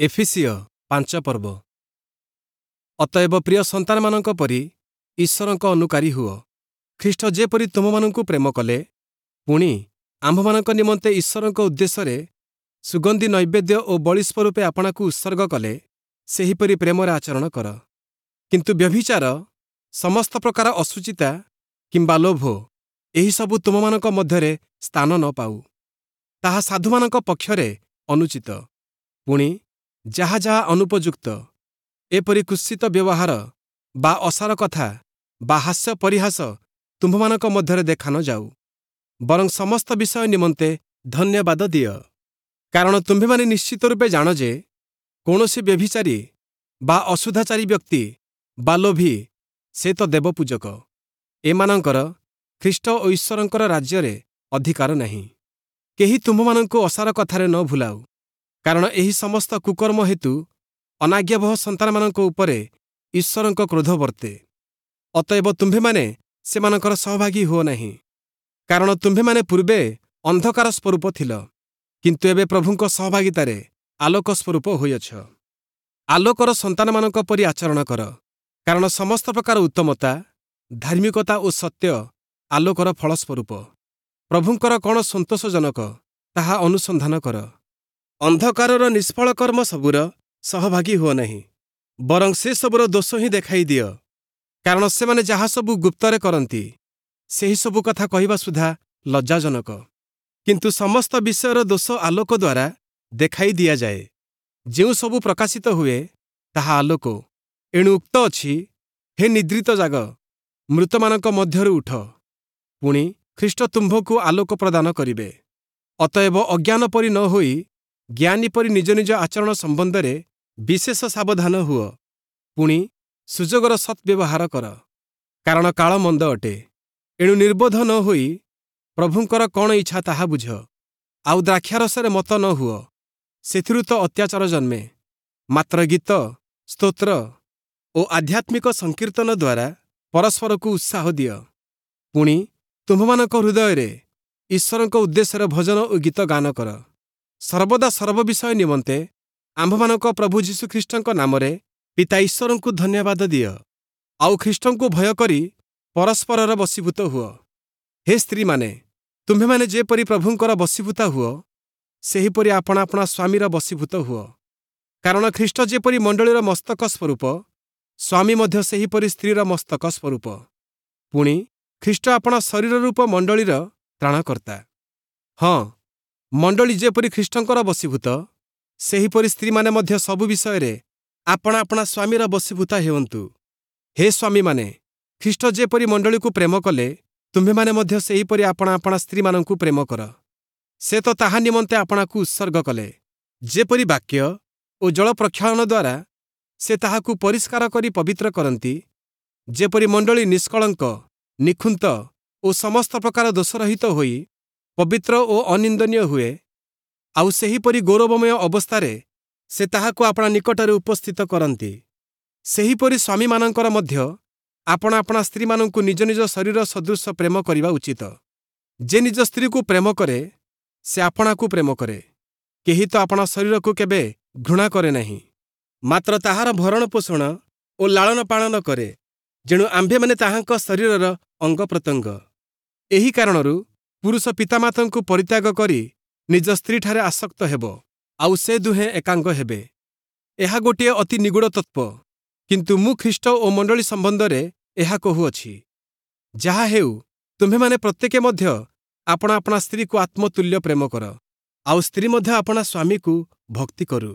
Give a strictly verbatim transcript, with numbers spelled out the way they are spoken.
ଏଫିସୀୟ ପାଞ୍ଚ ପର୍ବ। ଅତଏବ ପ୍ରିୟ ସନ୍ତାନମାନଙ୍କ ପରି ଈଶ୍ୱରଙ୍କ ଅନୁକାରୀ ହୁଅ। ଖ୍ରୀଷ୍ଟ ଯେପରି ତୁମ୍ଭମାନଙ୍କୁ ପ୍ରେମ କଲେ, ପୁଣି ଆମ୍ଭମାନଙ୍କ ନିମନ୍ତେ ଈଶ୍ୱରଙ୍କ ଉଦ୍ଦେଶ୍ୟରେ ସୁଗନ୍ଧି ନୈବେଦ୍ୟ ଓ ବଳି ସ୍ୱରୂପେ ଆପଣାକୁ ଉତ୍ସର୍ଗ କଲେ, ସେହିପରି ପ୍ରେମରେ ଆଚରଣ କର। କିନ୍ତୁ ବ୍ୟଭିଚାର, ସମସ୍ତ ପ୍ରକାର ଅଶୁଚିତା କିମ୍ବା ଲୋଭ, ଏହିସବୁ ତୁମ୍ଭମାନଙ୍କ ମଧ୍ୟରେ ସ୍ଥାନ ନ ପାଉ। ତାହା ସାଧୁମାନଙ୍କ ପକ୍ଷରେ ଅନୁଚିତ। ପୁଣି ଯାହା ଯାହା ଅନୁପଯୁକ୍ତ, ଏପରି କୁତ୍ସିତ ବ୍ୟବହାର ବା ଅସାର କଥା ବା ହାସ୍ୟ ପରିହାସ ତୁମ୍ଭମାନଙ୍କ ମଧ୍ୟରେ ଦେଖା ନ ଯାଉ, ବରଂ ସମସ୍ତ ବିଷୟ ନିମନ୍ତେ ଧନ୍ୟବାଦ ଦିଅ। କାରଣ ତୁମ୍ଭେମାନେ ନିଶ୍ଚିତ ରୂପେ ଜାଣ ଯେ କୌଣସି ବ୍ୟଭିଚାରୀ ବା ଅଶୁଦ୍ଧାଚାରୀ ବ୍ୟକ୍ତି ବା ଲୋଭୀ, ସେ ତ ଦେବପୂଜକ। ଏମାନଙ୍କର ଖ୍ରୀଷ୍ଟ ଓ ଈଶ୍ୱରଙ୍କର ରାଜ୍ୟରେ ଅଧିକାର ନାହିଁ। କେହି ତୁମ୍ଭମାନଙ୍କୁ ଅସାର କଥାରେ ନ ଭୁଲାଉ, କାରଣ ଏହି ସମସ୍ତ କୁକର୍ମ ହେତୁ ଅନାଜ୍ଞାବହ ସନ୍ତାନମାନଙ୍କ ଉପରେ ଈଶ୍ୱରଙ୍କ କ୍ରୋଧ ବର୍ତ୍ତେ। ଅତଏବ ତୁମ୍ଭେମାନେ ସେମାନଙ୍କର ସହଭାଗୀ ହୁଅ ନାହିଁ। କାରଣ ତୁମ୍ଭେମାନେ ପୂର୍ବେ ଅନ୍ଧକାର ସ୍ୱରୂପ ଥିଲ, କିନ୍ତୁ ଏବେ ପ୍ରଭୁଙ୍କ ସହଭାଗିତାରେ ଆଲୋକ ସ୍ୱରୂପ ହୋଇଅଛ। ଆଲୋକର ସନ୍ତାନମାନଙ୍କ ପରି ଆଚରଣ କର, କାରଣ ସମସ୍ତ ପ୍ରକାର ଉତ୍ତମତା, ଧାର୍ମିକତା ଓ ସତ୍ୟ ଆଲୋକର ଫଳସ୍ୱରୂପ। ପ୍ରଭୁଙ୍କର କ'ଣ ସନ୍ତୋଷଜନକ, ତାହା ଅନୁସନ୍ଧାନ କର। ଅନ୍ଧକାରର ନିଷ୍ଫଳ କର୍ମ ସବୁର ସହଭାଗୀ ହୁଅ ନାହିଁ, ବରଂ ସେସବୁର ଦୋଷ ହିଁ ଦେଖାଇ ଦିଅ। କାରଣ ସେମାନେ ଯାହା ସବୁ ଗୁପ୍ତରେ କରନ୍ତି, ସେହିସବୁ କଥା କହିବା ସୁଦ୍ଧା ଲଜ୍ଜାଜନକ। କିନ୍ତୁ ସମସ୍ତ ବିଷୟର ଦୋଷ ଆଲୋକ ଦ୍ୱାରା ଦେଖାଇ ଦିଆଯାଏ। ଯେଉଁ ସବୁ ପ୍ରକାଶିତ ହୁଏ, ତାହା ଆଲୋକ। ଏଣୁ ଉକ୍ତ ଅଛି, ହେ ନିଦ୍ରିତ ଜାଗ, ମୃତମାନଙ୍କ ମଧ୍ୟରୁ ଉଠ, ପୁଣି ଖ୍ରୀଷ୍ଟ ତୁମ୍ଭକୁ ଆଲୋକ ପ୍ରଦାନ କରିବେ। ଅତଏବ ଅଜ୍ଞାନ ପରି ନ ହୋଇ ଜ୍ଞାନୀ ପରି ନିଜ ନିଜ ଆଚରଣ ସମ୍ବନ୍ଧରେ ବିଶେଷ ସାବଧାନ ହୁଅ। ପୁଣି ସୁଯୋଗର ସଦ୍ବ୍ୟବହାର କର, କାରଣ କାଳ ମନ୍ଦ ଅଟେ। ଏଣୁ ନିର୍ବୋଧ ନ ହୋଇ ପ୍ରଭୁଙ୍କର କ'ଣ ଇଚ୍ଛା ତାହା ବୁଝ। ଆଉ ଦ୍ରାକ୍ଷାରସରେ ମତ ନ ହୁଅ, ସେଥିରୁ ତ ଅତ୍ୟାଚାର ଜନ୍ମେ। ମାତ୍ର ଗୀତ, ସ୍ତୋତ୍ର ଓ ଆଧ୍ୟାତ୍ମିକ ସଂକୀର୍ତ୍ତନ ଦ୍ୱାରା ପରସ୍ପରକୁ ଉତ୍ସାହ ଦିଅ। ପୁଣି ତୁମ୍ଭମାନଙ୍କ ହୃଦୟରେ ଈଶ୍ୱରଙ୍କ ଉଦ୍ଦେଶ୍ୟରେ ଭଜନ ଓ ଗୀତ ଗାନ କର। ସର୍ବଦା ସର୍ବ ବିଷୟ ନିମନ୍ତେ ଆମ୍ଭମାନଙ୍କ ପ୍ରଭୁ ଯୀଶୁଖ୍ରୀଷ୍ଟଙ୍କ ନାମରେ ପିତା ଈଶ୍ୱରଙ୍କୁ ଧନ୍ୟବାଦ ଦିଅ। ଆଉ ଖ୍ରୀଷ୍ଟଙ୍କୁ ଭୟ କରି ପରସ୍ପରର ବଶୀଭୂତ ହୁଅ। ହେ ସ୍ତ୍ରୀମାନେ, ତୁମ୍ଭେମାନେ ଯେପରି ପ୍ରଭୁଙ୍କର ବଶୀଭୂତା ହୁଅ, ସେହିପରି ଆପଣା ଆପଣା ସ୍ୱାମୀର ବଶୀଭୂତ ହୁଅ। କାରଣ ଖ୍ରୀଷ୍ଟ ଯେପରି ମଣ୍ଡଳୀର ମସ୍ତକ ସ୍ୱରୂପ, ସ୍ୱାମୀ ମଧ୍ୟ ସେହିପରି ସ୍ତ୍ରୀର ମସ୍ତକ ସ୍ୱରୂପ। ପୁଣି ଖ୍ରୀଷ୍ଟ ଆପଣା ଶରୀର ରୂପ ମଣ୍ଡଳୀର ତ୍ରାଣକର୍ତ୍ତା। ହଁ, ମଣ୍ଡଳୀ ଯେପରି ଖ୍ରୀଷ୍ଟଙ୍କର ବଶୀଭୂତ, ସେହିପରି ସ୍ତ୍ରୀମାନେ ମଧ୍ୟ ସବୁ ବିଷୟରେ ଆପଣା ଆପଣା ସ୍ୱାମୀର ବଶୀଭୂତା ହେଉନ୍ତୁ। ହେ ସ୍ୱାମୀମାନେ, ଖ୍ରୀଷ୍ଟ ଯେପରି ମଣ୍ଡଳୀକୁ ପ୍ରେମ କଲେ, ତୁମ୍ଭେମାନେ ମଧ୍ୟ ସେହିପରି ଆପଣା ଆପଣା ସ୍ତ୍ରୀମାନଙ୍କୁ ପ୍ରେମ କର। ସେ ତ ତାହା ନିମନ୍ତେ ଆପଣାକୁ ଉତ୍ସର୍ଗ କଲେ, ଯେପରି ବାକ୍ୟ ଓ ଜଳ ପ୍ରକ୍ଷାଳନ ଦ୍ୱାରା ସେ ତାହାକୁ ପରିଷ୍କାର କରି ପବିତ୍ର କରନ୍ତି, ଯେପରି ମଣ୍ଡଳୀ ନିଷ୍କଳଙ୍କ, ନିଖୁନ୍ତ ଓ ସମସ୍ତ ପ୍ରକାର ଦୋଷରହିତ ହୋଇ ପବିତ୍ର ଓ ଅନିନ୍ଦନୀୟ ହୁଏ, ଆଉ ସେହିପରି ଗୌରବମୟ ଅବସ୍ଥାରେ ସେ ତାହାକୁ ଆପଣା ନିକଟରେ ଉପସ୍ଥିତ କରନ୍ତି। ସେହିପରି ସ୍ୱାମୀମାନଙ୍କର ମଧ୍ୟ ଆପଣା ଆପଣା ସ୍ତ୍ରୀମାନଙ୍କୁ ନିଜ ନିଜ ଶରୀର ସଦୃଶ ପ୍ରେମ କରିବା ଉଚିତ। ଯେ ନିଜ ସ୍ତ୍ରୀକୁ ପ୍ରେମ କରେ, ସେ ଆପଣାକୁ ପ୍ରେମ କରେ। କେହି ତ ଆପଣା ଶରୀରକୁ କେବେ ଘୃଣା କରେ ନାହିଁ, ମାତ୍ର ତାହାର ଭରଣ ପୋଷଣ ଓ ଲାଳନ ପାଳନ କରେ, ଯେଣୁ ଆମ୍ଭେମାନେ ତାହାଙ୍କ ଶରୀରର ଅଙ୍ଗ ପ୍ରତ୍ୟଙ୍ଗ। ଏହି କାରଣରୁ ପୁରୁଷ ପିତାମାତାଙ୍କୁ ପରିତ୍ୟାଗ କରି ନିଜ ସ୍ତ୍ରୀଠାରେ ଆସକ୍ତ ହେବ, ଆଉ ସେ ଦୁହେଁ ଏକାଙ୍ଗ ହେବେ। ଏହା ଗୋଟିଏ ଅତି ନିଗୂଢ଼ ତତ୍ତ୍ୱ, କିନ୍ତୁ ମୁଁ ଖ୍ରୀଷ୍ଟ ଓ ମଣ୍ଡଳୀ ସମ୍ବନ୍ଧରେ ଏହା କହୁଅଛି। ଯାହା ହେଉ, ତୁମ୍ଭେମାନେ ପ୍ରତ୍ୟେକେ ମଧ୍ୟ ଆପଣା ଆପଣା ସ୍ତ୍ରୀକୁ ଆତ୍ମତୁଲ୍ୟ ପ୍ରେମ କର, ଆଉ ସ୍ତ୍ରୀ ମଧ୍ୟ ଆପଣା ସ୍ୱାମୀକୁ ଭକ୍ତି କରୁ।